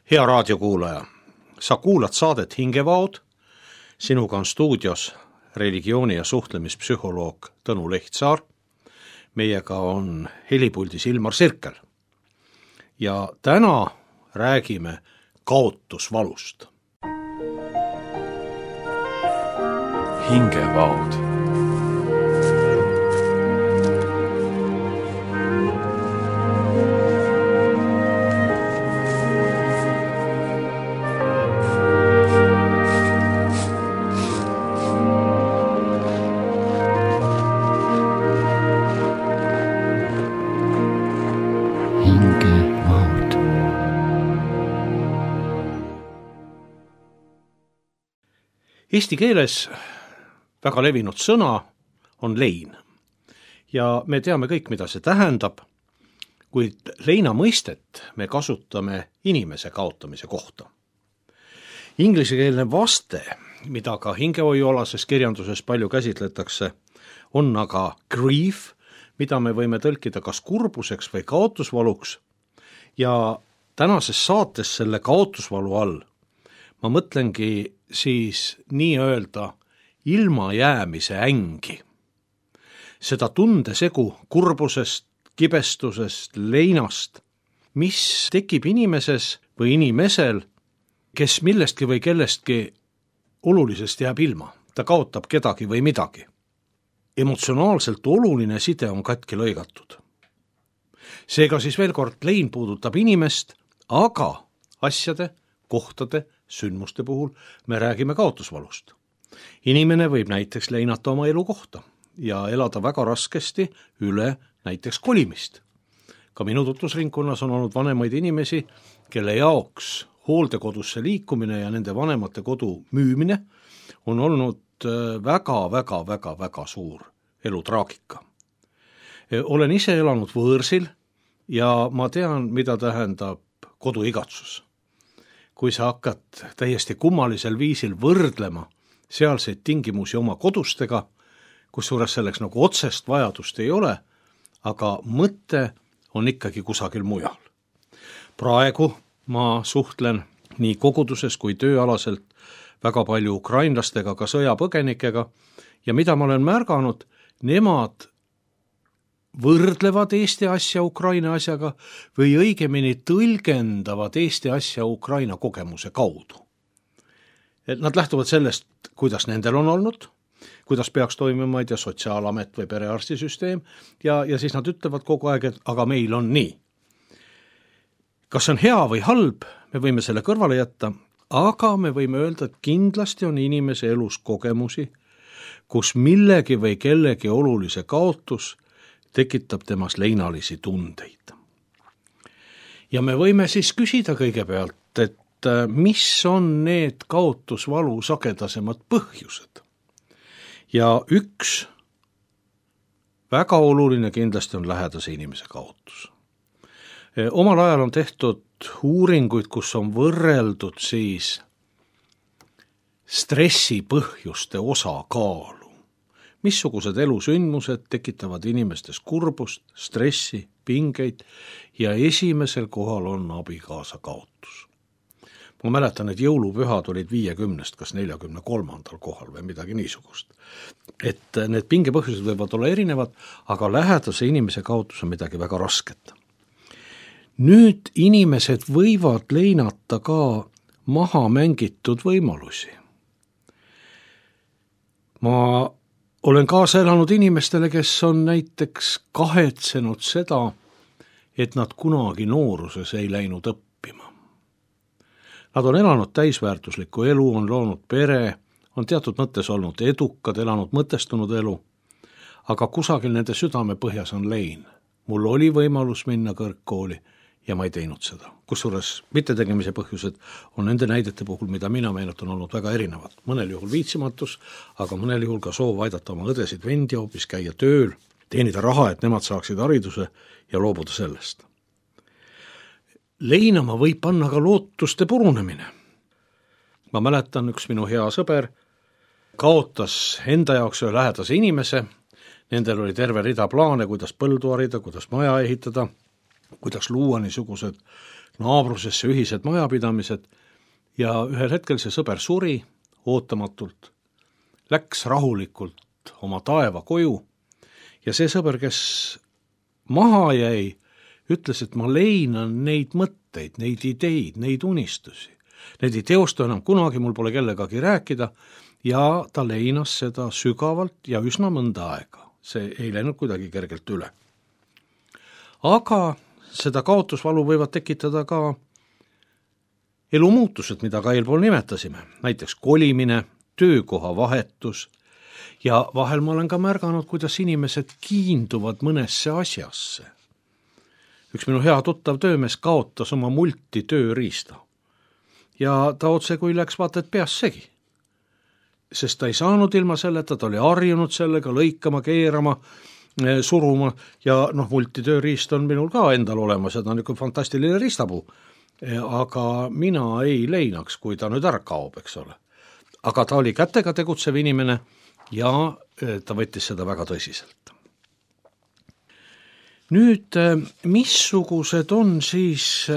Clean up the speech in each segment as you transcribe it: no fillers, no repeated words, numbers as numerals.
Hea raadiokuulaja, sa kuulad saadet Hingevaod, sinuga on stuudios religiooni- ja suhtlemispsühholoog Tõnu Lehtsaar, meiega on helipuldis Ilmar Sirkel ja täna räägime kaotusvalust. Hingevaod. Eesti keeles väga levinud sõna on lein ja me teame kõik, mida see tähendab, kuid leina mõistet me kasutame inimese kaotamise kohta. Inglisekeelne vaste, mida ka hingehoiualases kirjanduses palju käsitletakse, on aga grief, mida me võime tõlkida kas kurbuseks või kaotusvaluks, ja tänases saates selle kaotusvalu all ma mõtlengi siis nii-öelda ilmajäämise ängi. Seda tundesegu kurbusest, kibestusest, leinast, mis tekib inimeses või inimesel, kes millestki või kellestki olulisest jääb ilma. Ta kaotab kedagi või midagi. Emotsionaalselt oluline side on katki lõigatud. Seega siis veel kord, lein puudutab inimest, aga asjade, kohtade, sündmuste puhul me räägime kaotusvalust. Inimene võib näiteks leinata oma elukohta ja elada väga raskesti üle näiteks kolimist. Ka minu tutvusringkonnas on olnud vanemaid inimesi, kelle jaoks hooldekodusse liikumine ja nende vanemate kodu müümine on olnud väga suur elutraagika. Olen ise elanud võõrsil ja ma tean, mida tähendab koduigatsus. Kui sa hakkad täiesti kummalisel viisil võrdlema sealseid tingimusi oma kodustega, kusjuures selleks nagu otsest vajadust ei ole, aga mõte on ikkagi kusagil mujal. Praegu ma suhtlen nii koguduses kui tööalaselt väga palju ukrainlastega, ka sõjapõgenikega, ja mida ma olen märganud, nemad võrdlevad Eesti asja Ukraina asjaga või õigemini tõlgendavad Eesti asja Ukraina kogemuse kaudu. Nad lähtuvad sellest, kuidas nendel on olnud, kuidas peaks toimima sotsiaalamet või perearstisüsteem ja siis nad ütlevad kogu aeg, et aga meil on nii. Kas on hea või halb, me võime selle kõrvale jätta, aga me võime öelda, et kindlasti on inimese elus kogemusi, kus millegi või kellegi olulise kaotus tekitab temas leinalisi tundeid. Ja me võime siis küsida kõigepealt, et mis on need kaotusvalu sagedasemad põhjused. Ja üks väga oluline kindlasti on lähedase inimese kaotus. Omal ajal on tehtud uuringuid, kus on võrreldud siis stressi põhjuste osakaalu. Missugused elusündmused tekitavad inimestes kurbust, stressi, pingeid ja esimesel kohal on abikaasa kaotus. Ma mäletan, et jõulupühad olid 50, kas 43. kohal või midagi niisugust. Et need pingepõhjused võivad olla erinevad, aga lähedase inimese kaotus on midagi väga rasket. Nüüd inimesed võivad leinata ka maha mängitud võimalusi. Ma olen kaasa elanud inimestele, kes on näiteks kahetsenud seda, et nad kunagi nooruses ei läinud õppima. Nad on elanud täisväärtuslikku elu, on loonud pere, on teatud mõttes olnud edukad, elanud mõtestunud elu, aga kusagil nende südame põhjas on lein. Mul oli võimalus minna kõrgkooli ja ma ei teinud seda. Kusjuures mittetegemise põhjused on nende näidete puhul, mida mina meenutan, olnud väga erinevad. Mõnel juhul viitsimatus, aga mõnel juhul ka soov aidata oma õdesid vendi hoopis käia tööl, teenida raha, et nemad saaksid hariduse ja loobuda sellest. Leinama võib panna ka lootuste purunemine. Ma mäletan, üks minu hea sõber kaotas enda jaoks ühe lähedase inimese, nendel oli terve rida plaane, kuidas põldu harida, kuidas maja ehitada, kuidas luua niisugused naabrusesse ühised majapidamised ja ühel hetkel see sõber suri ootamatult, läks rahulikult oma taeva koju ja see sõber, kes maha jäi, ütles, et ma leinan neid mõtteid, neid ideid, neid unistusi. Need ei teostu enam kunagi, mul pole kellegagi rääkida ja ta leinas seda sügavalt ja üsna mõnda aega. See ei läinud kuidagi kergelt üle. Aga seda kaotusvalu võivad tekitada ka elumuutused, mida ka eelpool nimetasime, näiteks kolimine, töökoha vahetus ja vahel ma olen ka märganud, kuidas inimesed kiinduvad mõnesse asjasse. Üks minu hea tuttav töömees kaotas oma multi tööriista ja ta otse kui läks vaata, et peas segi. Sest ta ei saanud ilma selleta, ta oli harjunud sellega lõikama, keerama, suruma ja multi tööriist on minul ka endal olemas ja ta on niisugune fantastiline riistapuu. Aga mina ei leinaks, kui ta nüüd ära kaob, eks ole. Aga ta oli kätega tegutsev inimene ja ta võttis seda väga tõsiselt. Nüüd, missugused on siis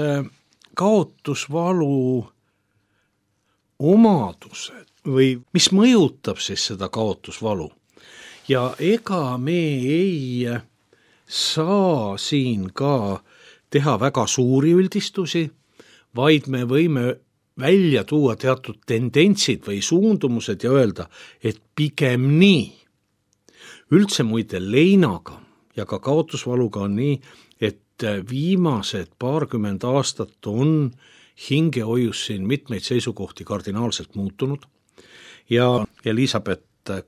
kaotusvalu omadused või mis mõjutab siis seda kaotusvalu? Ja ega me ei saa siin ka teha väga suuri üldistusi, vaid me võime välja tuua teatud tendentsid või suundumused ja öelda, et pigem nii. Üldse muide leinaga ja ka kaotusvaluga on nii, et viimased 20 aastat on hingehoius siin mitmeid seisukohti kardinaalselt muutunud ja Elisabeth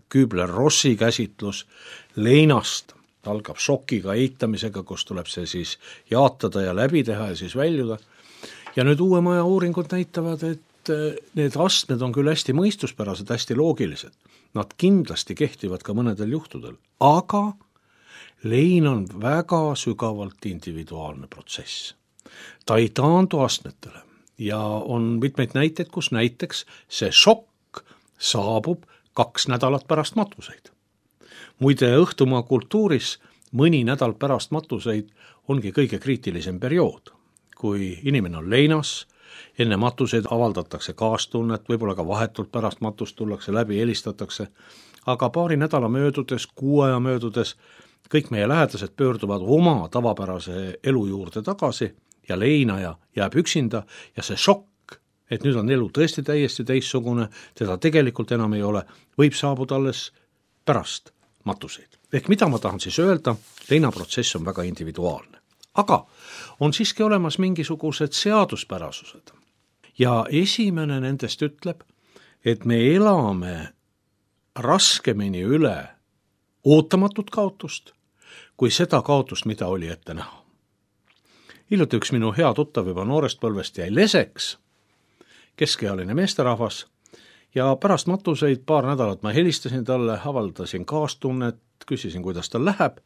Kübler-Rossi käsitlus leinast algab šokiga eitamisega, kus tuleb see siis jaatada ja läbi teha ja siis väljuda. Ja nüüd uue maja uuringud näitavad, et need astmed on küll hästi mõistuspärased, hästi loogilised. Nad kindlasti kehtivad ka mõnedel juhtudel, aga lein on väga sügavalt individuaalne protsess. Ta ei taandu astmetele ja on mitmeid näiteid, kus näiteks see šokk saabub 2 nädalat pärast matuseid. Muide, õhtumaa kultuuris mõni nädal pärast matuseid ongi kõige kriitilisem periood. Kui inimene on leinas, enne matuseid avaldatakse kaastunnet, võib-olla ka vahetult pärast matust tullakse läbi, helistatakse, aga paari nädala möödudes, 6 aja möödudes, kõik meie lähedased pöörduvad oma tavapärase elu juurde tagasi ja leinaja jääb üksinda ja see šokk, et nüüd on elu tõesti täiesti teissugune, teda tegelikult enam ei ole, võib saabuda alles pärast matuseid. Ehk mida ma tahan siis öelda, leinaprotsess on väga individuaalne. Aga on siiski olemas mingisugused seaduspärasused. Ja esimene nendest ütleb, et me elame raskemini üle ootamatut kaotust, kui seda kaotust, mida oli ette näha. Hiljuti üks minu hea tuttav juba noorest põlvest jäi leseks, keskealine meesterahvas, ja pärast matuseid 2 nädalat ma helistasin talle, avaldasin kaastunnet, küsisin, kuidas tal läheb,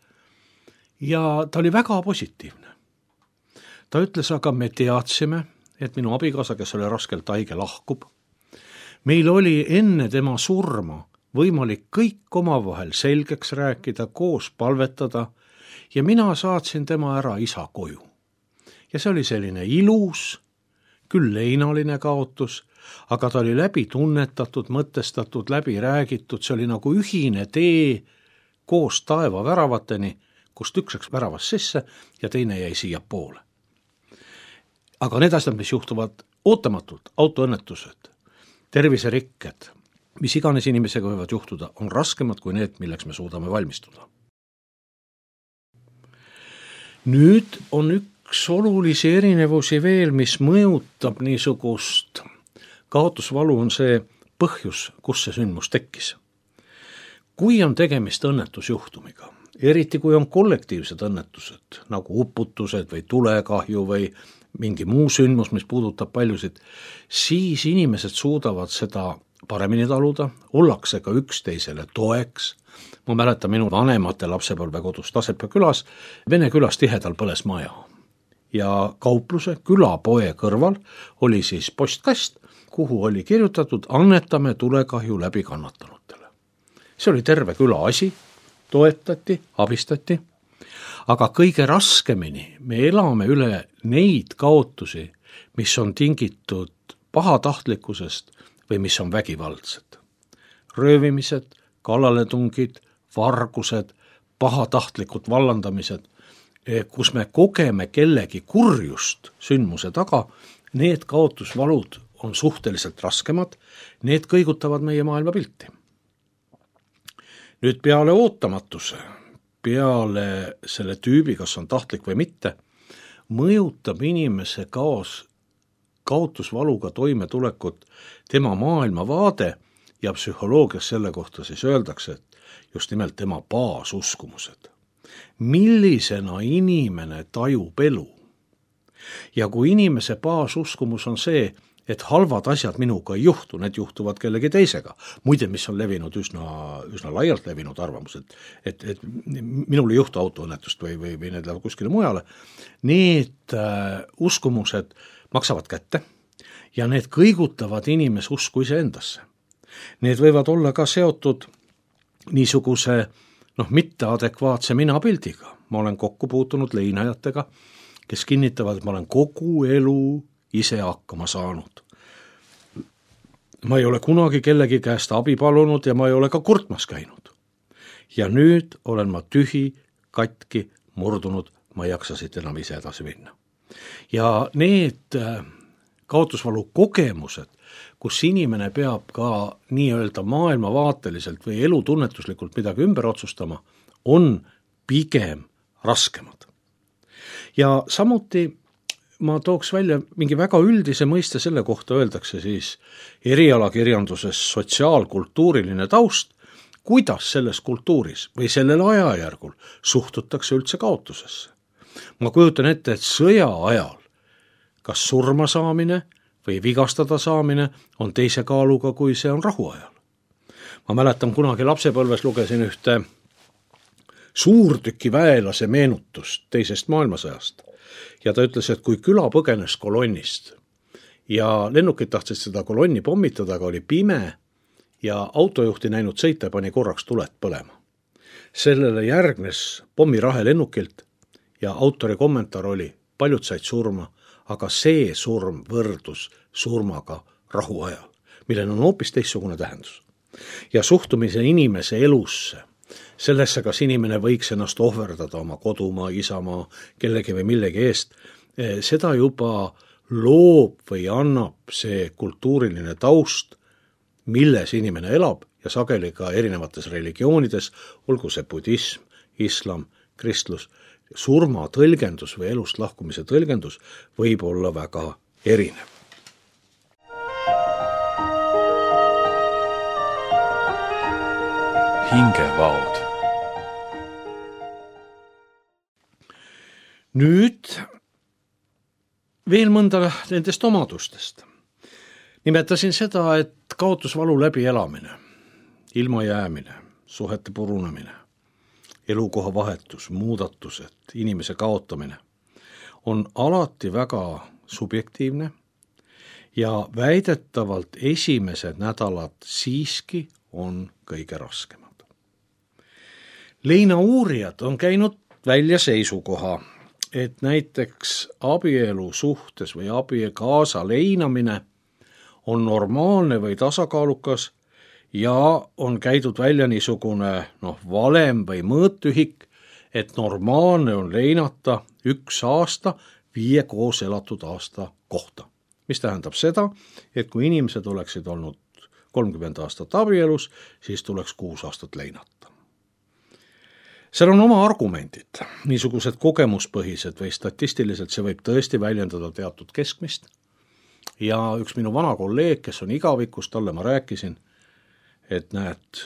ja ta oli väga positiivne. Ta ütles, aga me teadsime, et minu abikaasa, kes oli raskelt haige, lahkub. Meil oli enne tema surma võimalik kõik omavahel selgeks rääkida, koos palvetada ja mina saatsin tema ära isa koju. Ja see oli selline ilus, küll leinaline kaotus, aga ta oli läbi tunnetatud, mõtestatud, läbi räägitud, see oli nagu ühine tee koos taeva väravateni, kust üks läks väravast sisse ja teine jäi siia poole. Aga need asjad, mis juhtuvad ootamatult, autoõnnetused, terviserikked, mis iganes inimesega võivad juhtuda, on raskemad kui need, milleks me suudame valmistuda. Nüüd on üks olulisi erinevusi veel, mis mõjutab niisugust kaotusvalu, on see põhjus, kus see sündmus tekkis. Kui on tegemist õnnetusjuhtumiga, eriti kui on kollektiivsed õnnetused, nagu uputused või tulekahju või mingi muu sündmus, mis puudutab paljusid, siis inimesed suudavad seda paremini taluda, ollakse ka üksteisele toeks. Ma mäletan minu vanemate lapsepõlvekodus Tasepea külas, Vene külas tihedal põles maja. Ja kaupluse külapoe kõrval oli siis postkast, kuhu oli kirjutatud annetame tulekahju läbi kannatanutele. See oli terve küla asi, toetati, abistati aga kõige raskemini me elame üle neid kaotusi, mis on tingitud pahatahtlikkusest või mis on vägivaldsed. Röövimised, kallaletungid, vargused, pahatahtlikud vallandamised, kus me kogeme kellegi kurjust sündmuse taga, need kaotusvalud on suhteliselt raskemad, need kõigutavad meie maailmapilti. Nüüd peale ootamatuse, peale selle tüübi, kas on tahtlik või mitte, mõjutab inimese kaotusvaluga toimetulekut tema maailmavaade ja psühholoogias selle kohta siis öeldakse, et just nimelt tema baasuskumused. Millisena inimene tajub elu? Ja kui inimese baasuskumus on see, et halvad asjad minuga ei juhtu, need juhtuvad kellegi teisega. Muide, mis on levinud üsna laialt levinud arvamus, et minul ei juhtu autoõnnetust või need lähevad kuskile mujale. Need uskumused maksavad kätte ja need kõigutavad inimese usku iseendasse. Need võivad olla ka seotud niisuguse mitteadekvaatse minapildiga. Ma olen kokku puutunud leinajatega, kes kinnitavad, et ma olen kogu elu ise hakkama saanud. Ma ei ole kunagi kellegi käest abi palunud ja ma ei ole ka kurtmas käinud. Ja nüüd olen ma tühi, katki, murdunud, ma ei jaksa siit enam ise edasi minna. Ja need kaotusvalu kogemused, kus inimene peab ka nii-öelda maailmavaateliselt või elutunnetuslikult midagi ümber otsustama, on pigem raskemad. Ja samuti ma tooks välja mingi väga üldise mõiste selle kohta, öeldakse siis erialakirjanduses sotsiaalkultuuriline taust, kuidas selles kultuuris või sellel ajajärgul suhtutakse üldse kaotusesse. Ma kujutan ette, et sõja ajal kas surma saamine või vigastada saamine on teise kaaluga, kui see on rahu ajal. Ma mäletan, kunagi lapsepõlves lugesin ühte suurtüki väelase meenutust teisest maailmasõjast. Ja ta ütles, et kui küla põgenes kolonnist ja lennukid tahtsid seda kolonni pommitada, aga oli pime ja autojuhti näinud sõita ja pani korraks tuled põlema. Sellele järgnes pommirahe lennukilt ja autori kommentaar oli, paljud said surma, aga see surm võrdus surmaga rahuajal, millel on hoopis teistsugune tähendus. Ja suhtumise inimese elusse, sellesse, kas inimene võiks ennast ohverdada oma kodumaa, isamaa, kellegi või millegi eest, seda juba loob või annab see kultuuriline taust, milles inimene elab ja sageli ka erinevates religioonides, olgu see budism, islam, kristlus, surma tõlgendus või elust lahkumise tõlgendus võib olla väga erinev. Hingevaod. Nüüd veel mõnda nendest omadustest. Nimetasin seda, et kaotusvalu läbi elamine, ilmajäämine, suhete purunemine, elukoha vahetus, muudatused, inimese kaotamine on alati väga subjektiivne ja väidetavalt esimesed nädalad siiski on kõige raskemad. Leina uurijad on käinud välja seisukoha, et näiteks abielu suhtes või abikaasa leinamine on normaalne või tasakaalukas ja on käidud välja niisugune valem või mõõtühik, et normaalne on leinata 1 aasta 5 koos elatud aasta kohta. Mis tähendab seda, et kui inimesed oleksid olnud 30 aastat abielus, siis tuleks 6 aastat leinata. Seal on oma argumendid, niisugused kogemuspõhised või statistiliselt see võib tõesti väljendada teatud keskmist. Ja üks minu vana kolleeg, kes on igavikus, talle ma rääkisin, et näed,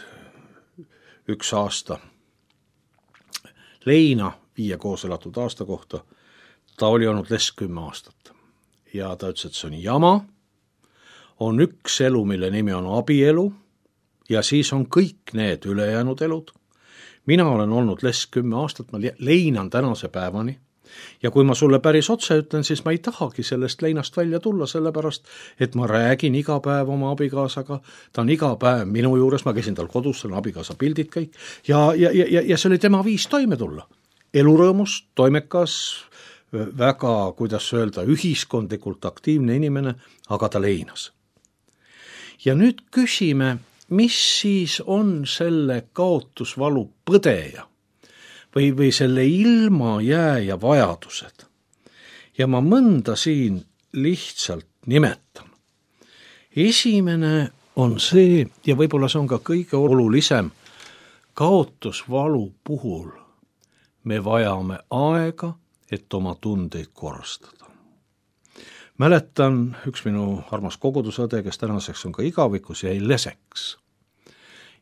1 aasta leina 5 koos elatud aasta kohta, ta oli olnud less 10 aastat. Ja ta ütles, et see on jama, on üks elu, mille nimi on abielu ja siis on kõik need ülejäänud elud. Mina olen olnud less 10 aastat, ma leinan tänase päevani ja kui ma sulle päris otse ütlen, siis ma ei tahagi sellest leinast välja tulla, sellepärast, et ma räägin iga päev oma abikaasaga, ta on iga päev minu juures, ma käisin tal kodus, seal on abikaasa pildid kõik ja see oli tema viis toime tulla. elurõõmus, toimekas, väga, kuidas öelda, ühiskondlikult aktiivne inimene, aga ta leinas. Ja nüüd küsime, mis siis on selle kaotusvalu põdeja või selle ilma jääja vajadused. Ja ma mõnda siin lihtsalt nimetan. Esimene on see, ja võib-olla see on ka kõige olulisem, kaotusvalu puhul me vajame aega, et oma tundeid korrastada. Mäletan, üks minu armas kogudusõde, kes tänaseks on ka igavikus, jäi leseks.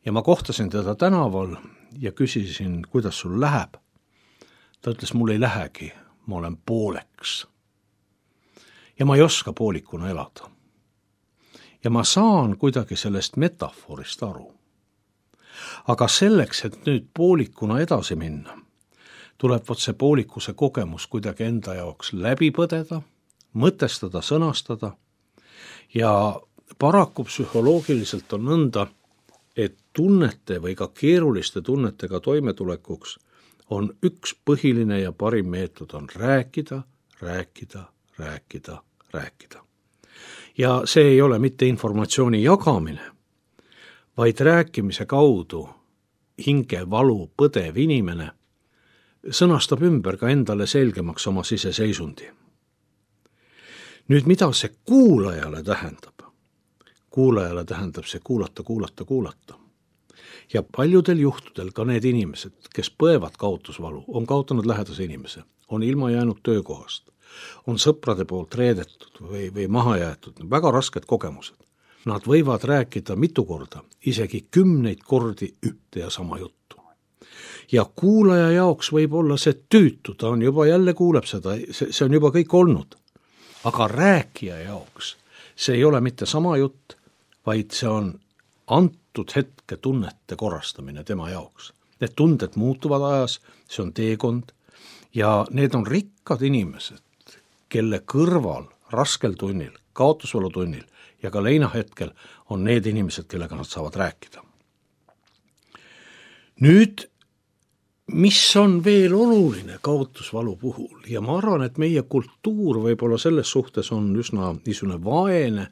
Ja ma kohtasin teda tänaval ja küsisin, kuidas sul läheb. Ta ütles, mul ei lähegi, ma olen pooleks. Ja ma ei oska poolikuna elada. Ja ma saan kuidagi sellest metafoorist aru. Aga selleks, et nüüd poolikuna edasi minna, tuleb see poolikuse kogemus kuidagi enda jaoks läbi põdeda, mõtestada, sõnastada ja paraku psühholoogiliselt on nõnda, et tunnete või ka keeruliste tunnetega toimetulekuks on üks põhiline ja parim meetod on rääkida. Ja see ei ole mitte informatsiooni jagamine, vaid rääkimise kaudu hingevalu põdev inimene sõnastab ümber ka endale selgemaks oma siseseisundi. Nüüd, mida see kuulajale tähendab? Kuulajale tähendab see kuulata. Ja paljudel juhtudel ka need inimesed, kes põevad kaotusvalu, on kaotanud lähedase inimese, on ilma jäänud töökohast, on sõprade poolt reedetud või maha jäetud, väga rasked kogemused. Nad võivad rääkida mitu korda, isegi 10 kordi ühte ja sama juttu. Ja kuulaja jaoks võib olla see tüütu, ta on juba jälle kuuleb seda, see on juba kõik olnud. Aga rääkija jaoks see ei ole mitte sama jutt, vaid see on antud hetke tunnete korrastamine tema jaoks. Need tunded muutuvad ajas, see on teekond ja need on rikkad inimesed, kelle kõrval raskel tunnil, kaotusvalu tunnil ja ka leinahetkel on need inimesed, kellega nad saavad rääkida. Nüüd, mis on veel oluline kaotusvalu puhul ja ma arvan, et meie kultuur võib-olla selles suhtes on üsna niisugune vaene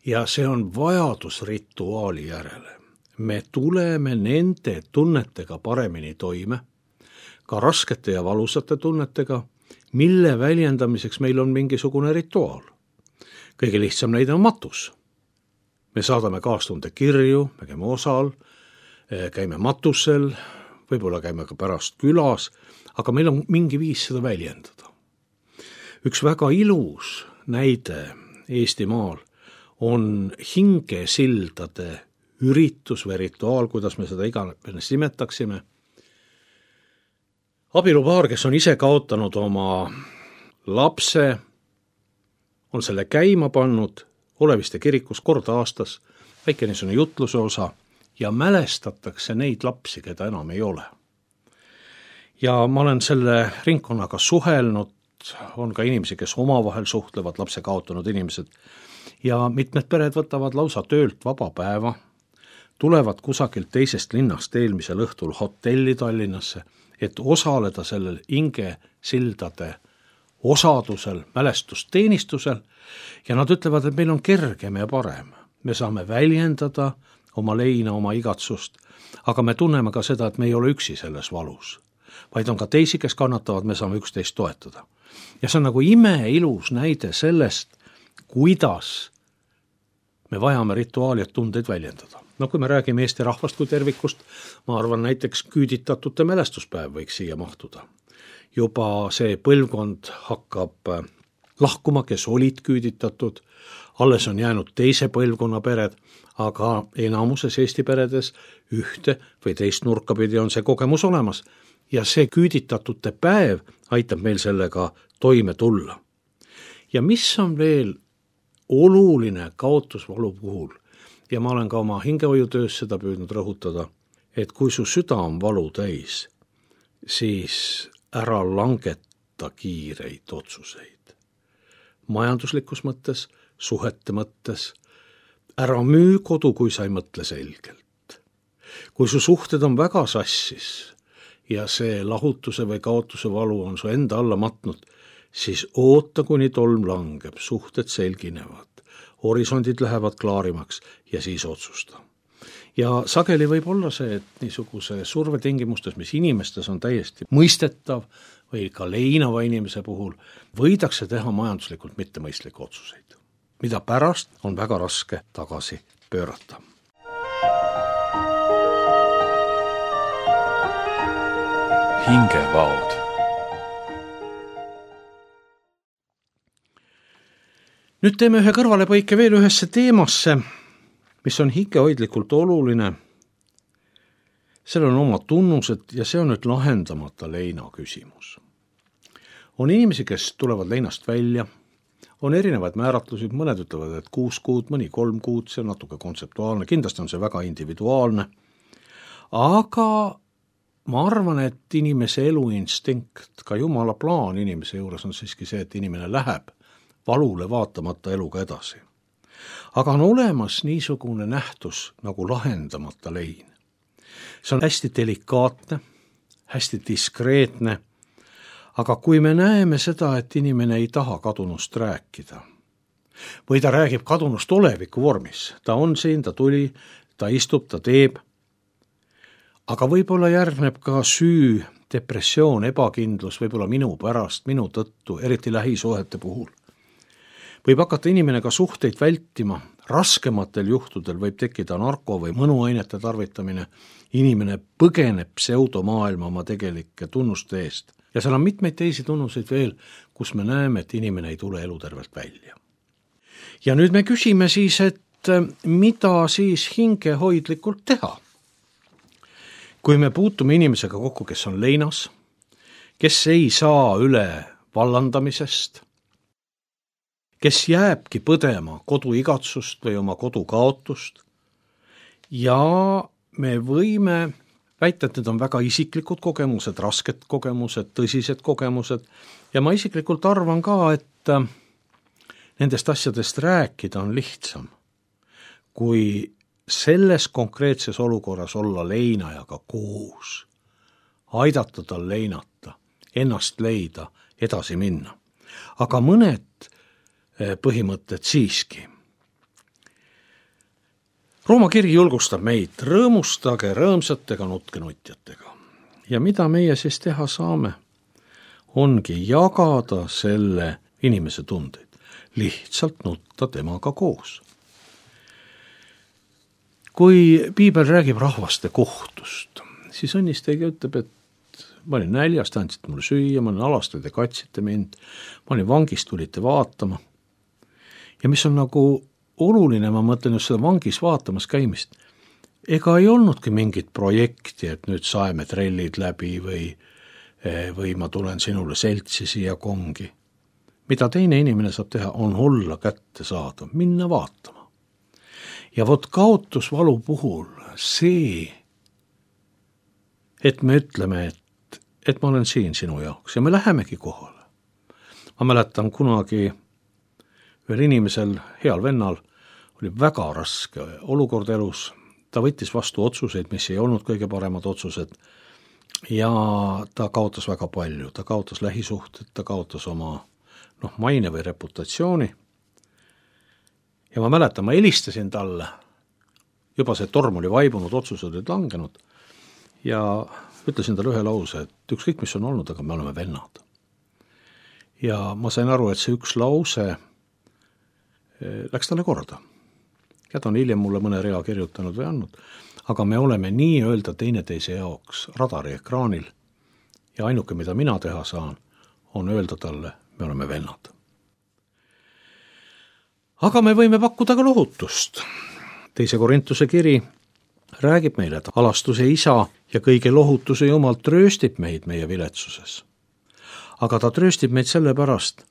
ja see on vajadus rituaali järele. Me tuleme nende tunnetega paremini toime, ka raskete ja valusate tunnetega, mille väljendamiseks meil on mingisugune rituaal. Kõige lihtsam näide on matus. Me saadame kaastunde kirju, me käime osal, käime matusel, võib-olla käime ka pärast külas, aga meil on mingi viis seda väljendada. Üks väga ilus näide Eestimaal on hingesildade üritus või rituaal, kuidas me seda iganes nimetaksime. Abielupaar, kes on ise kaotanud oma lapse, on selle käima pannud Oleviste kirikus kord aastas, väike niisugune jutluse osa ja mälestatakse neid lapsi, keda enam ei ole. Ja ma olen selle ringkonnaga suhelnud, on ka inimesi, kes omavahel suhtlevad, lapse kaotanud inimesed ja mitmed pered võtavad lausa töölt vaba päeva, tulevad kusagilt teisest linnast eelmisel õhtul hotelli Tallinnasse, et osaleda sellel hingesildade osadusel, mälestusteenistusel ja nad ütlevad, et meil on kergem ja parem. Me saame väljendada oma leina, oma igatsust, aga me tunneme ka seda, et me ei ole üksi selles valus, vaid on ka teisi, kes kannatavad, me saame üksteist toetada. Ja see on nagu imeilus näide sellest, kuidas me vajame rituaali, et tundeid väljendada. No kui me räägime Eesti rahvast kui tervikust, ma arvan näiteks küüditatute mälestuspäev võiks siia mahtuda. Juba see põlvkond hakkab lahkuma, kes olid küüditatud, alles on jäänud teise põlvkonna pered, aga enamuses Eesti peredes ühte või teist nurkapidi on see kogemus olemas ja see küüditatute päev aitab meil sellega toime tulla. Ja mis on veel oluline kaotusvalu puhul, ja ma olen ka oma hingehoiutöös seda püüdnud rõhutada, et kui su süda on valu täis, siis ära langeta kiireid otsuseid. Majanduslikus mõttes, suhete mõttes, ära müü kodu, kui sa ei mõtle selgelt. Kui su suhted on väga sassis ja see lahutuse või kaotuse valu on su enda alla matnud, siis oota, kuni tolm langeb, suhted selginevad, horisondid lähevad klaarimaks ja siis otsusta. Ja sageli võib olla see, et niisuguse survetingimustes, mis inimestes on täiesti mõistetav või ka leinava inimese puhul, võidakse teha majanduslikult mittemõistlikke otsuseid, mida pärast on väga raske tagasi pöörata. Hingevaod. Nüüd teeme ühe kõrvalepõike veel ühesse teemasse, mis on hingehoidlikult oluline. Sellel on oma tunnused ja see on nüüd lahendamata leina küsimus. On inimesi, kes tulevad leinast välja, on erinevaid määratlusi, mõned ütlevad, et 6 kuud, mõni 3 kuud, see on natuke kontseptuaalne, kindlasti on see väga individuaalne, aga ma arvan, et inimese eluinstinkt, ka Jumala plaan inimese juures on siiski see, et inimene läheb valule vaatamata eluga edasi. Aga on olemas niisugune nähtus nagu lahendamata lein. See on hästi delikaatne, hästi diskreetne, aga kui me näeme seda, et inimene ei taha kadunust rääkida, või ta räägib kadunust oleviku vormis, ta on siin, ta tuli, ta istub, ta teeb, aga võib-olla järgneb ka süü, depressioon, ebakindlus, võib-olla minu pärast, minu tõttu, eriti lähisuhete puhul. Võib hakata inimene ka suhteid vältima, raskematel juhtudel võib tekkida narko- või mõnuainete tarvitamine, inimene põgeneb pseudomaailma oma tegelike tunnuste eest. Ja seal on mitmeid teisi tunnuseid veel, kus me näeme, et inimene ei tule elutervelt välja. Ja nüüd me küsime siis, et mida siis hingehoidlikult teha? Kui me puutume inimesega kokku, kes on leinas, kes ei saa üle vallandamisest, kes jääbki põdema koduigatsust või oma kodu kaotust, ja me võime väita, et need on väga isiklikud kogemused, rasked kogemused, tõsised kogemused, ja ma isiklikult arvan ka, et nendest asjadest rääkida on lihtsam, kui selles konkreetses olukorras olla leinajaga koos, aidata tal leinata, ennast leida, edasi minna. Aga mõned põhimõtted siiski. Rooma kiri julgustab meid, rõõmustage rõõmsatega, nutke nutjatega. Ja mida meie siis teha saame, ongi jagada selle inimese tundeid, lihtsalt nutta temaga koos. Kui piibel räägib rahvaste kohtust, siis õnnistaja ütleb, et ma olin näljas, te andsite mulle süüa, ma olin alastud ja katsite mind, ma olin vangis, tulite vaatama. Ja mis on nagu oluline, ma mõtlen just seda vangis vaatamas käimist, ega ei olnudki mingit projekti, et nüüd saeme trellid läbi või ma tulen sinule seltsi siia kongi. Mida teine inimene saab teha, on olla kätte saada, minna vaatama. Ja vot kaotusvalu puhul see, et me ütleme, et ma olen siin sinu jaoks ja me lähemegi kohale. Ma mäletan kunagi ühel inimesel, heal vennal, oli väga raske olukord elus, ta võttis vastu otsuseid, mis ei olnud kõige paremad otsused ja ta kaotas väga palju, ta kaotas lähisuhted, ta kaotas oma maine või reputatsiooni. Ja ma mäletan, ma helistasin talle, juba see torm oli vaibunud, otsused olid langenud ja ütlesin talle ühe lause, et ükskõik mis on olnud, aga me oleme vennad. Ja ma sain aru, et see üks lause läks talle korda. Ja ta on hiljem mulle mõne rea kirjutanud või andnud, aga me oleme nii-öelda teineteise jaoks radari ekraanil ja ainuke, mida mina teha saan, on öelda talle, me oleme vennad. Aga me võime pakkuda ka lohutust. 2. Korintuse kiri räägib meile, et alastuse isa ja kõige lohutuse Jumal trööstib meid meie viletsuses. Aga ta trööstib meid sellepärast,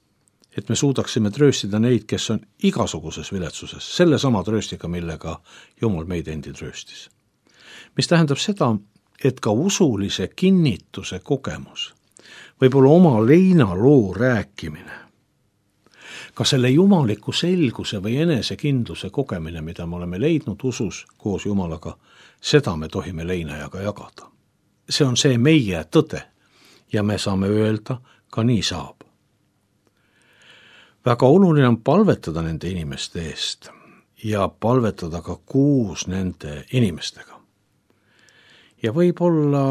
et me suudaksime trööstida neid, kes on igasuguses viletsuses, selle sama trööstiga, millega Jumal meid endi trööstis. Mis tähendab seda, et ka usulise kinnituse kogemus, võib-olla oma leinaloo rääkimine, ka selle jumaliku selguse või enesekindluse kogemine, mida me oleme leidnud usus koos Jumalaga, seda me tohime leinajaga jagada. see on see meie tõde ja me saame öelda, ka nii saab. Väga oluline on palvetada nende inimeste eest ja palvetada ka koos nende inimestega. Ja võib-olla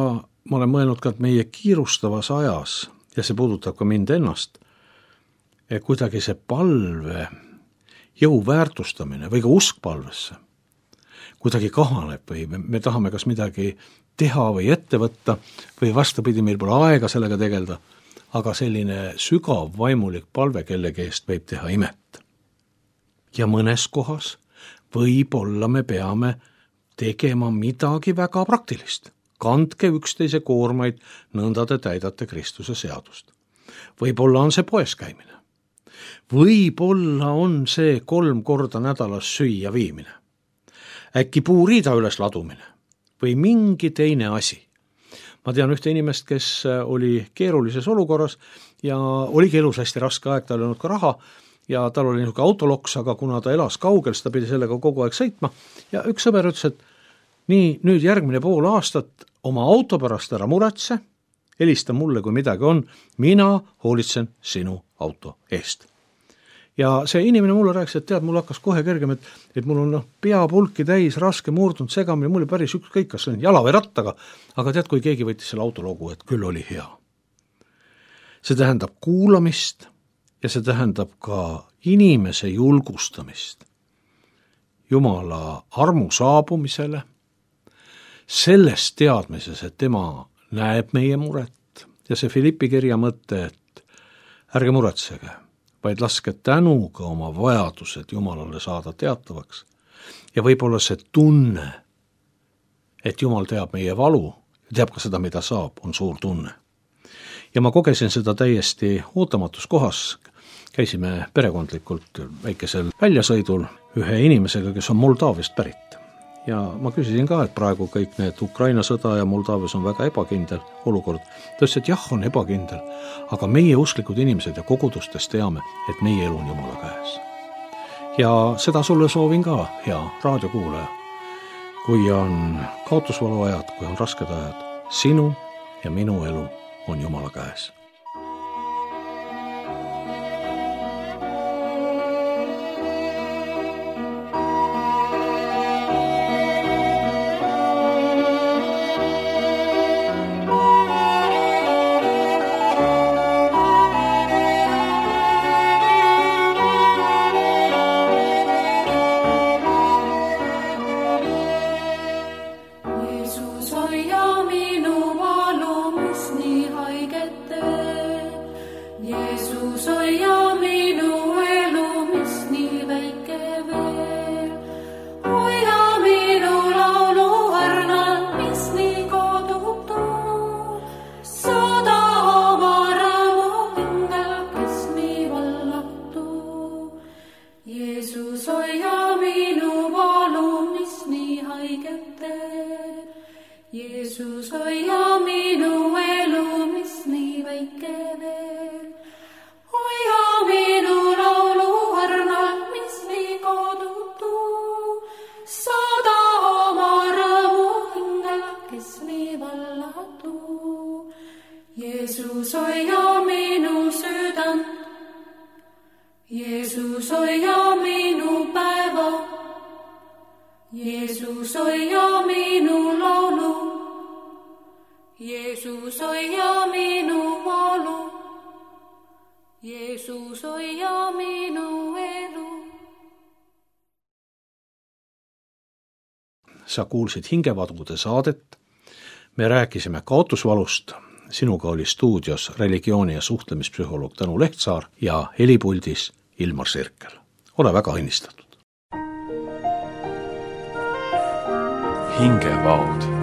ma olen mõelnud ka, et meie kiirustavas ajas, ja see puudutab ka mind ennast, kuidagi see palve jõu väärtustamine või ka usk palvesse kuidagi kahaneb või me tahame kas midagi teha või ette võtta või vastupidi, meil pole aega sellega tegelda, aga selline sügav vaimulik palve kellegi eest võib teha imet. Ja mõnes kohas võib-olla me peame tegema midagi väga praktilist. Kandke üksteise koormaid, nõnda te täidate Kristuse seadust. Võib-olla on see poes käimine. Võib-olla on see 3 korda nädalas süüa viimine. Äkki puuriida üles ladumine või mingi teine asi. Ma tean ühte inimest, kes oli keerulises olukorras ja oligi elus hästi raske aeg, tal ei olnud ka raha ja tal oli niisugune autoloks, aga kuna ta elas kaugel, siis ta pidi sellega kogu aeg sõitma ja üks sõber ütles, et nii, nüüd järgmine pool aastat oma auto pärast ära muretse, helista mulle, kui midagi on, mina hoolitsen sinu auto eest. Ja see inimene mulle rääkis, et tead, mul hakkas kohe kergem, et mul on peapulki täis, raske, murdunud, segamine, mul oli päris ükskõik, kas on jala või rattaga, aga tead, kui keegi võttis selle autologu, et küll oli hea. See tähendab kuulamist ja see tähendab ka inimese julgustamist Jumala armu saabumisele, selles teadmises, et tema näeb meie muret ja see Filippi kirja mõte, et ärge muretsege, vaid laske tänuga oma vajadused Jumalale saada teatavaks. Ja võib-olla see tunne, et Jumal teab meie valu, teab ka seda, mida saab, on suur tunne. Ja ma kogesin seda täiesti ootamatus kohas. Käisime perekondlikult väikesel väljasõidul ühe inimesega, kes on Moldaavist pärit. Ja ma küsisin ka, et praegu kõik need Ukraina sõda ja Moldaavias on väga ebakindel olukord. Ta ütles, et jah, on ebakindel, aga meie usklikud inimesed ja kogudustes teame, et meie elu on Jumala käes. Ja seda sulle soovin ka, hea raadiokuulaja. Kui on kaotusvalu ajad, kui on rasked ajad, sinu ja minu elu on Jumala käes. Jeesus hoia minu elu, mis nii väike veel. Hoia minu laulu õrnalt, mis nii kodutu. Saada oma rõõmu hingel, kes nii vallatu. Jeesus hoia minu südant. Jeesus hoia minu päeva. Jeesus hoia minu laulu. Jeesus hoia minu valu. Jeesus hoia minu elu. Sa kuulsid Hingevadude saadet. Me rääkisime kaotusvalust. Sinuga oli stuudios religiooni- ja suhtlemispsühholoog Tõnu Lehtsaar ja helipuldis Ilmar Sirkel. Ole väga õnnistatud. Hingevaud.